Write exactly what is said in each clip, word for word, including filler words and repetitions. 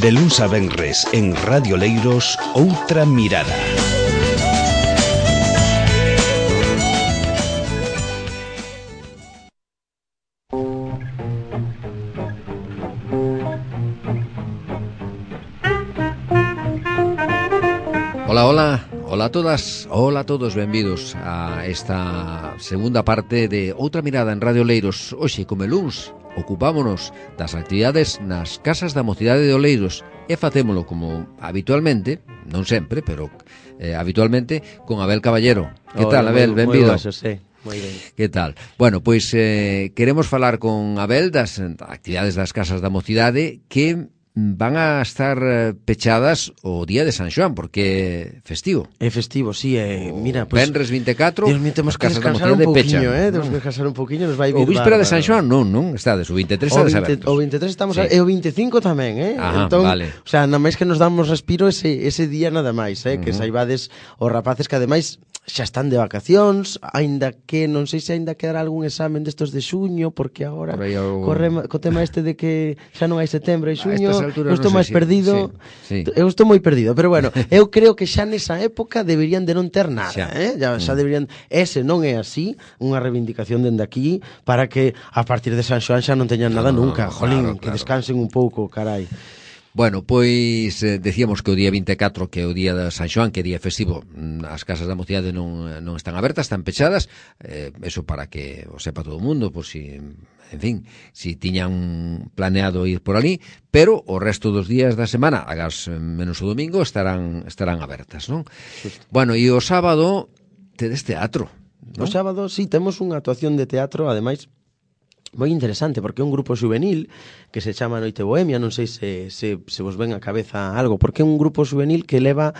De luns a venres en Radio Leiros, Outra Mirada. Hola, hola, hola a todas, hola a todos, benvidos a esta segunda parte de Outra Mirada en Radio Leiros. Hoxe, como luns, ocupámonos das actividades nas casas da mocidade de Oleiros e facémolo como habitualmente, non sempre, pero eh, habitualmente, con Abel Caballero. Que tal, Abel? Moi, Benvido. moi baixo, sí. Moi ben. Que tal? Bueno, pois eh, queremos falar con Abel das actividades das casas da mocidade que van a estar pechadas o día de San Xoán, porque é festivo. É festivo, sí, eh, mira, pues, Venres vinte e catro, Dios mío, temos que descansar un pouquiño, eh, temos que descansar un pouquiño, nos vai vir o víspera bárbaro. de San Xoán, non, non, estades, o vinte e tres o estades vinte, abertos. o vinte e tres estamos, sí. a, e o vinte e cinco tamén, eh? Ajá, entón, vale. O sea, nada máis que nos damos respiro ese, ese día nada máis, eh? Uh-huh. Que saibades os rapaces que ademais xa están de vacacións, aínda que non sei se aínda quedará algún examen destos de xuño, porque agora o... corre co tema este de que xa non hai setembro e xuño, eu estou non máis si, perdido, sí, sí. eu estou moi perdido, pero bueno, eu creo que xa nesa época deberían de non ter nada, xa. eh? Xa, xa deberían, ese non é así, unha reivindicación dende aquí para que a partir de San Xoán xa non teñan nada no, nunca, jolín, claro, que claro. Descansen un pouco, carai. Bueno, pois eh, decíamos que o día vinte e catro, que é o día de San Xoán, que é día festivo, as casas da mocidade non, non están abertas, están pechadas, eh, eso para que o sepa todo o mundo, por si, en fin, si tiñan planeado ir por ali, pero o resto dos días da semana, agas menos o domingo, estarán estarán abertas, non? Sí. Bueno, e o sábado tedes teatro, non? O sábado, sí, temos unha actuación de teatro, ademais, moi interesante, porque é un grupo juvenil que se chama Noite Bohemia, non sei se, se, se vos ven a cabeza algo, porque é un grupo juvenil que leva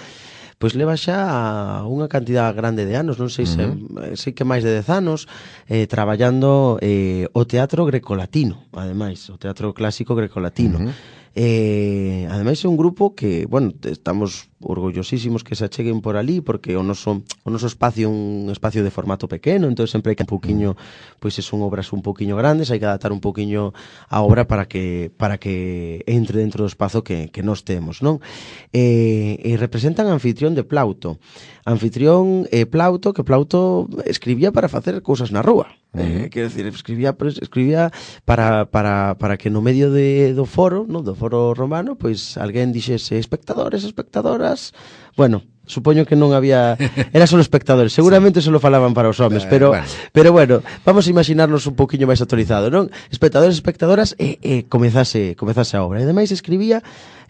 pois leva xa unha cantidad grande de anos, non sei se uh-huh. sei que máis de dez anos eh, traballando eh, o teatro grecolatino, ademais, o teatro clásico grecolatino. Uh-huh. Eh, ademais é un grupo que, bueno, estamos orgullosísimos que se acheguen por ali, porque o noso, o noso espacio é un espacio de formato pequeno, entón sempre hai que un poquinho, pois son obras un poquinho grandes, hai que adaptar un poquinho a obra para que para que entre dentro do espazo que, que nós temos, non? Eh, e representan a anfitrión de Plauto. Anfitrión eh, Plauto, que Plauto escribía para facer cousas na rúa. Eh, quero decir, escribía escribía para, para, para que no medio de, do foro, no, do foro romano, pois alguén dixese espectadores, espectadoras. Bueno, supoño que non había, era só espectadores, seguramente sí. Só falaban para os homes, pero bueno. pero bueno, vamos a imaginarnos un poquinho máis actualizado, non? Espectadores, espectadoras e, e comezase, comezase a obra. E ademais escribía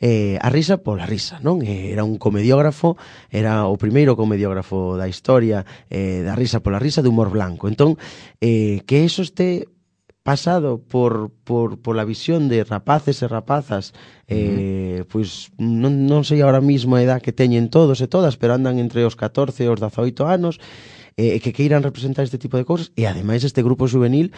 eh, a risa pola risa, non? Era un comediógrafo, era o primeiro comediógrafo da historia eh, da risa pola risa, de humor blanco. Entón, eh, que eso este pasado por, por, por la visión de rapaces e rapazas, eh, uh-huh. pois non, non sei ahora mismo a edad que teñen todos e todas, pero andan entre os catorce e os dezaoito anos, eh, que queiran representar este tipo de cousas, e ademais este grupo juvenil,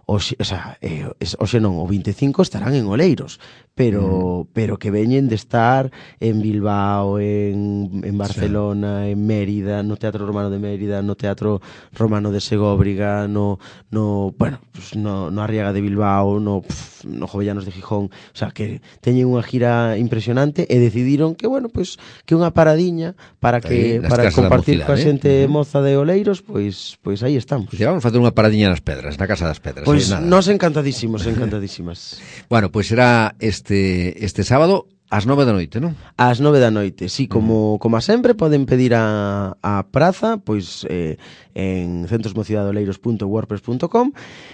Oxe, o sea, eh, oxe non, o vinte e cinco estarán en Oleiros, pero mm. pero que veñen de estar en Bilbao, en, en Barcelona, sí. en Mérida, no Teatro Romano de Mérida, no Teatro Romano de Segóbriga, no, no bueno, pues no, no Arriaga de Bilbao, no, pff, no Jovellanos de Gijón, o sea, que teñen unha gira impresionante e decidiron que, bueno, pues que unha paradiña para que aí, para compartir coa xente eh? moza de Oleiros, pois pois aí estamos. Pues vamos a facer unha paradiña nas Pedras, na Casa das Pedras. Pois nos encantadísimos, encantadísimas. Bueno, pois pues será este este sábado ás nove da noite, non? Ás nove da noite, sí, como, como a sempre poden pedir a, a praza, pois eh, en centrosmocidadoleiros punto wordpress punto com,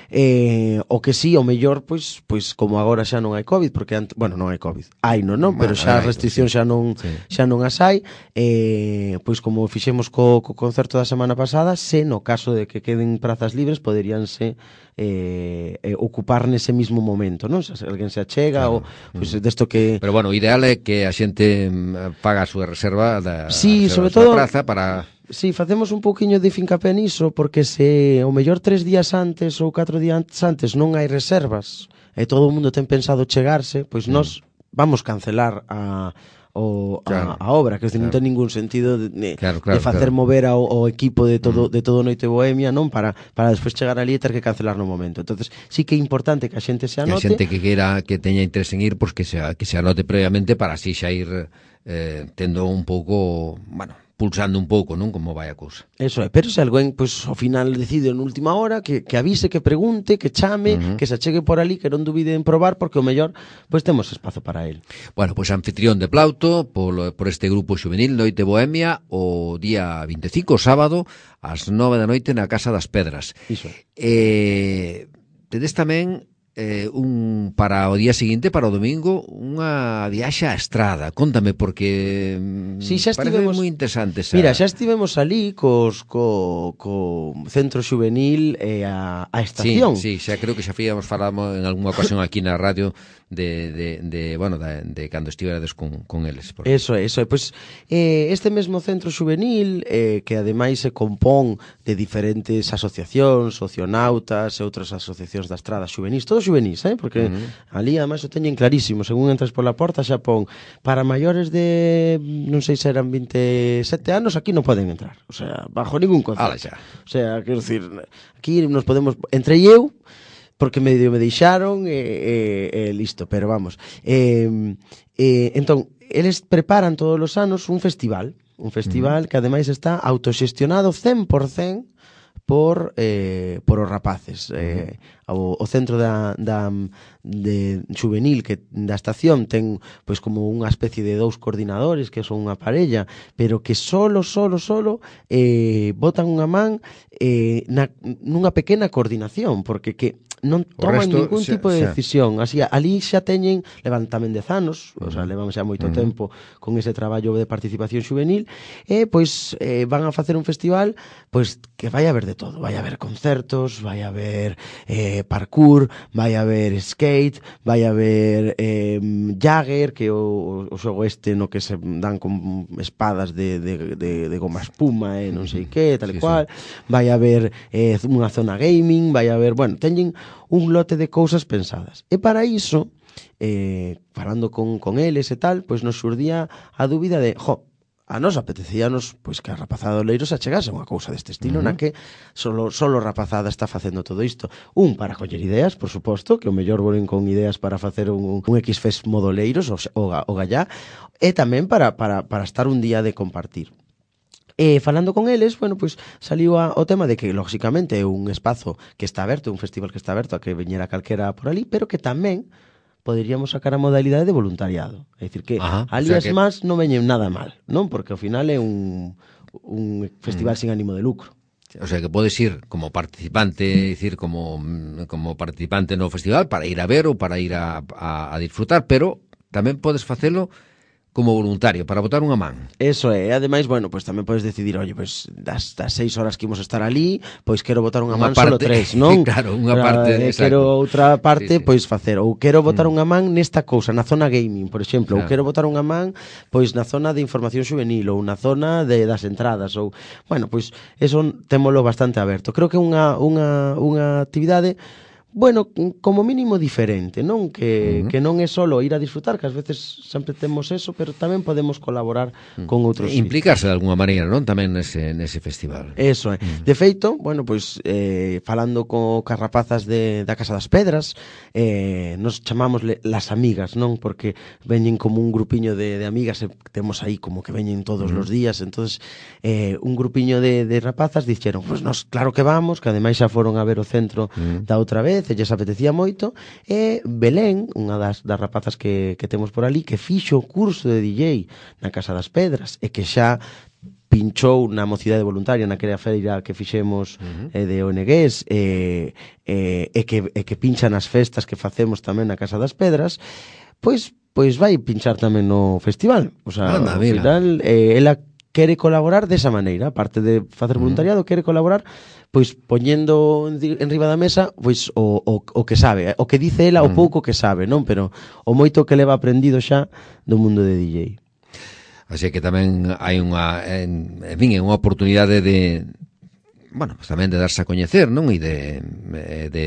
eh, o que sí, o mellor, pois, pois como agora xa non hai COVID, porque, ant, bueno, non hai COVID, hai non, non? Pero xa as restriccións xa non, sí. xa non as hai, eh, pois como fixemos co, co concerto da semana pasada, se no caso de que queden prazas libres, poderíanse eh, eh, ocupar nese mismo momento, non? Se alguén se achega, claro. ou pois, desto que... Pero bueno, o ideal é que a xente paga a súa reserva da, sí, reserva sobre da todo, praza para... Sí, facemos un pouquiño de fincapé niso, porque se o mellor tres días antes ou catro días antes non hai reservas e todo o mundo ten pensado chegarse, pois mm. nós vamos cancelar a o claro, a, a obra, que claro, non ten ningún sentido de, de, claro, claro, de facer claro. mover ao, ao equipo de todo, Mm. de todo Noite Bohemia, non, para, para despois chegar ali e ter que cancelar no momento. Entonces sí que é importante que a xente se Que a anote. xente que queira, que teña interés en ir, pois que se, que se anote previamente para así xa ir eh, tendo un pouco, bueno, pulsando un pouco, non, como vai a cousa. Eso é, pero se alguén, pois, ao final decide en última hora, que, que avise, que pregunte, que chame, Uh-huh. que se achegue por ali, que non dubide en probar, porque o mellor, pois, temos espazo para el. Bueno, pois anfitrión de Plauto, por, por este grupo xuvenil Noite Bohemia, o día vinte e cinco, sábado, ás nove da noite na Casa das Pedras. Iso. Eh, tedes tamén eh, un para o día seguinte, para o domingo, unha viaxe á estrada. Conta-me, porque sí, xa parece estivemos, moi interesante esa... Mira, xa estivemos ali cos, co, co centro xuvenil e a, a estación. Sí, sí, xa creo que xa fíamos falamos en algunha ocasión aquí na radio de, de, de bueno, de, de cando estiverades con, con eles. Por... Eso é, eso é. Pois, eh, este mesmo centro xuvenil, eh, que ademais se compón de diferentes asociacións, socionautas e outras asociacións da estrada xuvenís, todos xuvenís, eh? Porque uh-huh. ali ademais o teñen clarísimo, según entras pola porta xa pon para maiores de, non sei se eran vinte e sete anos, aquí non poden entrar, o sea, bajo ningún concepto. O sea, quero dicir, aquí nos podemos, entre eu, porque medio me deixaron e, e, e listo, pero vamos. Eh, eh, entón, eles preparan todos os anos un festival, un festival uh-huh. que ademais está autoxestionado cen por cen por eh, por os rapaces. Eh, o, o centro da, da de xuvenil que da estación ten pois como unha especie de dous coordinadores que son unha parella, pero que solo, solo, solo eh, botan unha man eh, na, nunha pequena coordinación, porque que non toman resto, ningún xa, tipo de decisión. Así, ali xa teñen, levan tamén dez anos, uh-huh. o sea, levan xa moito uh-huh. tempo con ese traballo de participación xuvenil, e pois eh, van a facer un festival pois que vai a haber de todo, vai a haber concertos, vai a haber eh, parkour, vai a haber skate, vai a haber eh, Jagger, que o, o xogo este no que se dan con espadas de, de, de, de goma espuma e eh, non sei que, tal e sí, cual, sí. vai a haber eh, unha zona gaming, vai a haber, bueno, teñen un lote de cousas pensadas. E para iso, eh, falando con, con eles e tal, pois nos xurdía a dúbida de, jo, a nos apetecíanos pois que a rapazada do Leiro se achegase a unha cousa deste estilo, uh-huh. na que solo, solo rapazada está facendo todo isto. Un, para coller ideas, por suposto, que o mellor volen con ideas para facer un, un X-Fest modo Leiros, o, o, o Gallá, e tamén para, para, para estar un día de compartir. E falando con eles, bueno, pois saliu a, o tema de que, lógicamente, é un espazo que está aberto, un festival que está aberto a que veñera calquera por ali, pero que tamén poderíamos sacar a modalidade de voluntariado. É dicir, que Ajá, ali o sea as que... más non veñen nada mal, non? Porque ao final é un, un festival mm. sin ánimo de lucro. O sea, que podes ir como participante, decir, como, como participante no festival para ir a ver ou para ir a, a, a disfrutar, pero tamén podes facelo como voluntario, para botar unha man. Eso é, ademais, bueno, pois pues, tamén podes decidir, oye, pois pues, das, das seis horas que imos estar ali, pois pues, quero botar unha, unha man parte, solo tres, non? Claro, unha Para, parte, eh, exacto. Quero outra parte, sí, sí. pois pues, facer, ou quero botar mm. unha man nesta cousa, na zona gaming, por exemplo, claro. ou quero botar unha man, pois na zona de información juvenil, ou na zona de das entradas, ou, bueno, pois eso témolo bastante aberto. Creo que é unha, unha, unha actividade bueno, como mínimo diferente, non? Que, uh-huh. que non é solo ir a disfrutar, que ás veces sempre temos eso, pero tamén podemos colaborar uh-huh. con outros. Implicarse de alguna maneira, non? Tamén nese, nese festival. Eso é. Uh-huh. De feito, bueno, pois, eh, falando co carrapazas de, da Casa das Pedras, eh, nos chamámosle las amigas, non? Porque veñen como un grupiño de, de amigas, e temos aí como que veñen todos uh-huh. os días, entonces eh, un grupiño de, de rapazas dixeron, pois pues nos, claro que vamos, que ademais xa foron a ver o centro uh-huh. da outra vez, e lles apetecía moito, e Belén, unha das, das rapazas que, que temos por ali, que fixo o curso de D J na Casa das Pedras, e que xa pinchou na mocidade voluntaria naquela feira que fixemos uh-huh. eh, de O N Gs, e, e, e, que, e que pincha nas festas que facemos tamén na Casa das Pedras, pois pois vai pinchar tamén no festival. O sea, Anda, ao final, eh, ela quere colaborar desa maneira, aparte de facer voluntariado, uh-huh. quere colaborar pois poñendo en riba da mesa pois o, o, o que sabe, o que dice ela, uh-huh. o pouco que sabe, non? Pero o moito que leva aprendido xa do mundo de D J. Así que tamén hai unha, en, en fin, unha oportunidade de, bueno, pues tamén de darse a coñecer, non? E de, de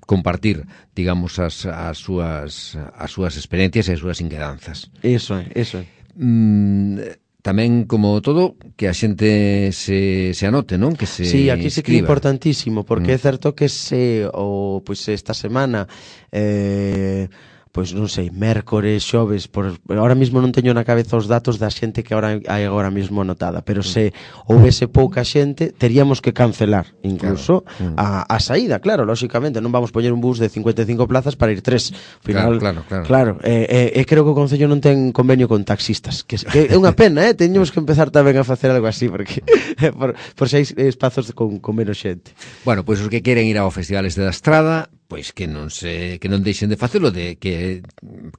compartir, digamos, as, as súas as súas experiencias e as súas inquedanzas. Eso é, eso é. mm, tamén, como todo, que a xente se, se anote, non? Que se Sí, aquí sí que é escriba. importantísimo, porque Mm. é certo que se, o, pois esta semana, eh, pois non sei, mércores, xoves, por, ahora mesmo non teño na cabeza os datos da xente que ahora hai agora mesmo anotada, pero se houvese pouca xente, teríamos que cancelar incluso Claro. Mm. a, a saída, claro, lóxicamente, non vamos poñer un bus de cincuenta e cinco plazas para ir tres. Final, Claro, claro, claro. claro, e eh, eh, creo que o Concello non ten convenio con taxistas, que, que é unha pena, eh, teñemos que empezar tamén a facer algo así, porque por, por se hai espazos con, con menos xente. Bueno, pois os que queren ir ao Festivales de da Estrada, pois que non se que non deixen de facelo, de que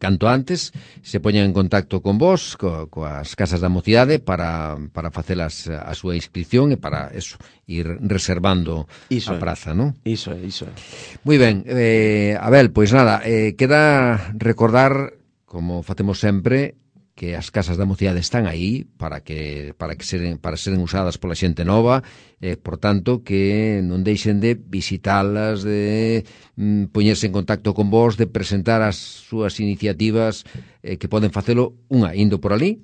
canto antes se poñan en contacto con vos, co, coas casas da mocidade para para facelas a súa inscripción e para eso, ir reservando Iso a é. praza, non? Iso é, iso é. Moi ben, eh, Abel, pois nada, eh, queda recordar, como facemos sempre, que as casas da mocidade están aí para que para que seren para seren usadas pola xente nova, eh, por tanto que non deixen de visitalas, de mm, poñerse en contacto con vos, de presentar as súas iniciativas, eh, que poden facelo unha indo por ali,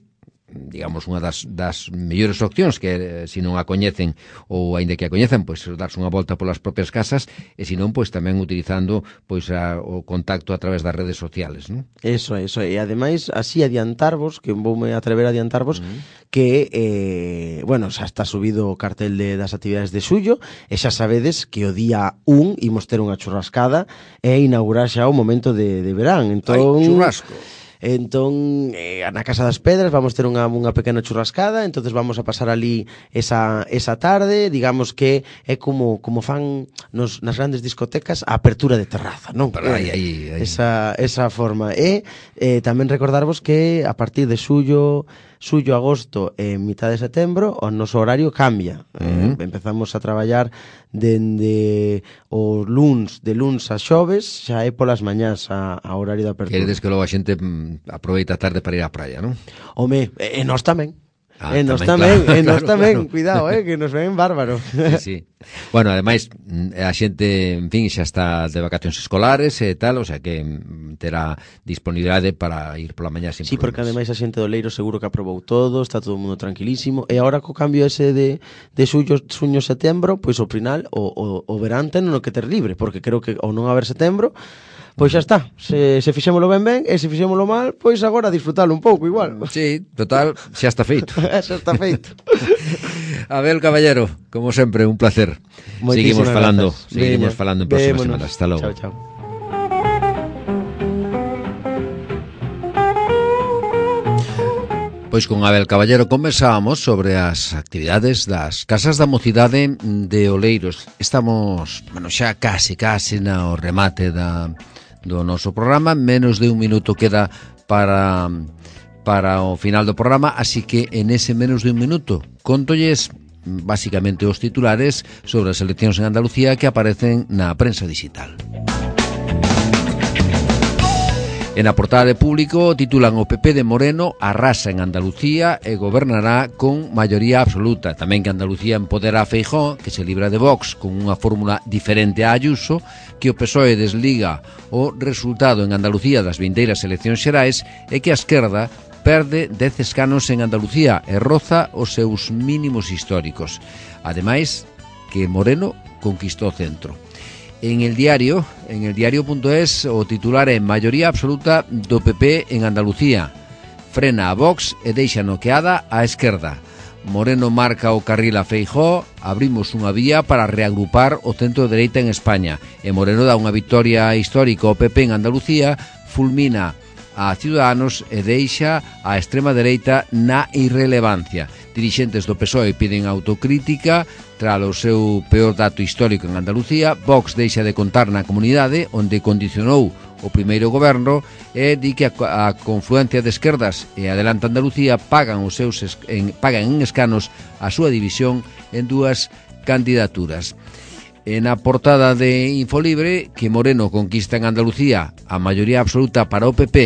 digamos, unha das, das mellores opcións, que eh, se non a coñecen ou aínda que a coñecen, pois darse unha volta polas propias casas, e se non, pois tamén utilizando pois a, o contacto a través das redes sociales, non? Eso é, eso é. E ademais, así adiantarvos, que voume atrever a adiantarvos, uh-huh. que, eh, bueno, xa está subido o cartel de, das actividades de Xullo, e xa sabedes que o día un imos ter unha churrascada e inaugurar xa o momento de, de verán. Entón, Ai, churrasco! Entón, eh, na Casa das Pedras vamos ter unha, unha pequena churrascada, entonces vamos a pasar ali esa, esa tarde, digamos que é como como fan nos, nas grandes discotecas a apertura de terraza, non? Pero aí, aí, aí. Esa, esa forma. E eh, tamén recordarvos que a partir de xullo, xullo, agosto e mitad de setembro o noso horario cambia. Uh-huh. eh, empezamos a traballar dende os luns, de luns a xoves, xa é polas mañás a, a horario de apertura. Queredes que logo a xente mm, aproveita a tarde para ir á praia, non? Home, e, e nós tamén. Ah, e nos tamén, tamén, claro, e nos claro, tamén, claro. cuidado, eh, que nos ven bárbaro. Sí, sí. Bueno, ademais, a xente, en fin, xa está de vacacións escolares e tal, o sea que terá disponibilidade para ir pola mañá sin Sí, problemas. porque ademais a xente do Leiro seguro que aprobou todo, está todo o mundo tranquilísimo, e agora co cambio ese de, de xullo, xuño, setembro, pois o final, o, o, o verán ten no que ter libre, porque creo que ao non haber setembro, pois xa está, se, se fixémolo ben ben, e se fixémolo mal, pois agora disfrutalo un pouco igual. Sí, total, xa está feito. Xa está feito. Abel Caballero, como sempre, un placer. Moitísimas Seguimos falando, grazas. seguimos Veña, falando en próximas vémonos. semanas. Hasta logo. Chao, chao. Pois con Abel Caballero conversábamos sobre as actividades das Casas da Mocidade de Oleiros. Estamos, bueno, xa casi, casi no remate da, do noso programa. Menos de un minuto queda para, para o final do programa, así que en ese menos de un minuto contolles basicamente os titulares sobre as eleccións en Andalucía que aparecen na prensa digital. En a portada de Público titulan o P P de Moreno arrasa en Andalucía e gobernará con maioría absoluta. Tamén que Andalucía empodera a Feijóo, que se libra de Vox con unha fórmula diferente a Ayuso, que o P S O E desliga o resultado en Andalucía das vindeiras eleccións xerais e que a esquerda perde dez escanos en Andalucía e roza os seus mínimos históricos. Ademais, que Moreno conquistou o centro. En el diario, en el diario.es, o titular é maioría absoluta do P P en Andalucía. Frena a Vox e deixa noqueada a esquerda. Moreno marca o carril a Feijóo, abrimos unha vía para reagrupar o centro de dereita en España. E Moreno dá unha victoria histórica ao P P en Andalucía, fulmina a Ciudadanos e deixa a extrema dereita na irrelevancia. Dirixentes do P S O E piden autocrítica tras o seu peor dato histórico en Andalucía. Vox deixa de contar na comunidade onde condicionou o primeiro goberno e di que a, a confluencia de esquerdas e Adelante Andalucía pagan os seus en, pagan en escanos a súa división en dúas candidaturas. En a portada de Infolibre, que Moreno conquista en Andalucía a maioría absoluta para o P P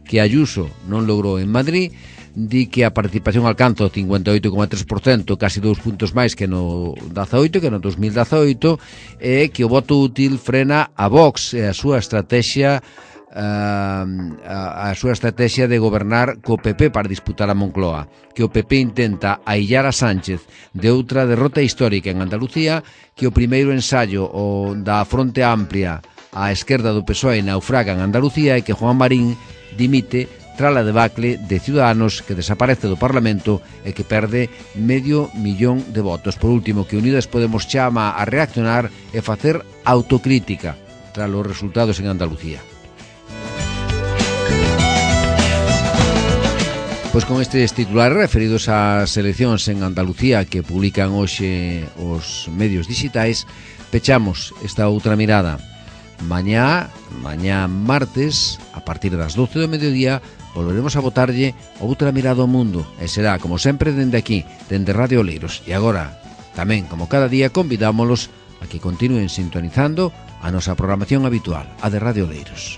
que Ayuso non logrou en Madrid, di que a participación alcanza o cincuenta e oito coma tres por cento, casi dous puntos máis que no dezaoito, que no dos mil dezaoito, e que o voto útil frena a Vox e a súa estrategia Uh, a, a súa estrategia de gobernar co P P para disputar a Moncloa, que o P P intenta aillar a Sánchez de outra derrota histórica en Andalucía, que o primeiro ensaio o da Fronte Amplia á esquerda do P S O E naufraga en Andalucía e que Juan Marín dimite tras a debacle de Ciudadanos, que desaparece do Parlamento e que perde medio millón de votos. Por último, que Unidas Podemos chama a reaccionar e facer autocrítica tras os resultados en Andalucía. Pois con estes titulares referidos ás eleccións en Andalucía que publican hoxe os medios digitais, pechamos esta outra mirada. Mañá, mañá martes, a partir das doce do mediodía, volveremos a botarlle outra mirada ao mundo e será, como sempre, dende aquí, dende Radio Oleiros. E agora, tamén, como cada día, convidámolos a que continúen sintonizando a nosa programación habitual, a de Radio Oleiros.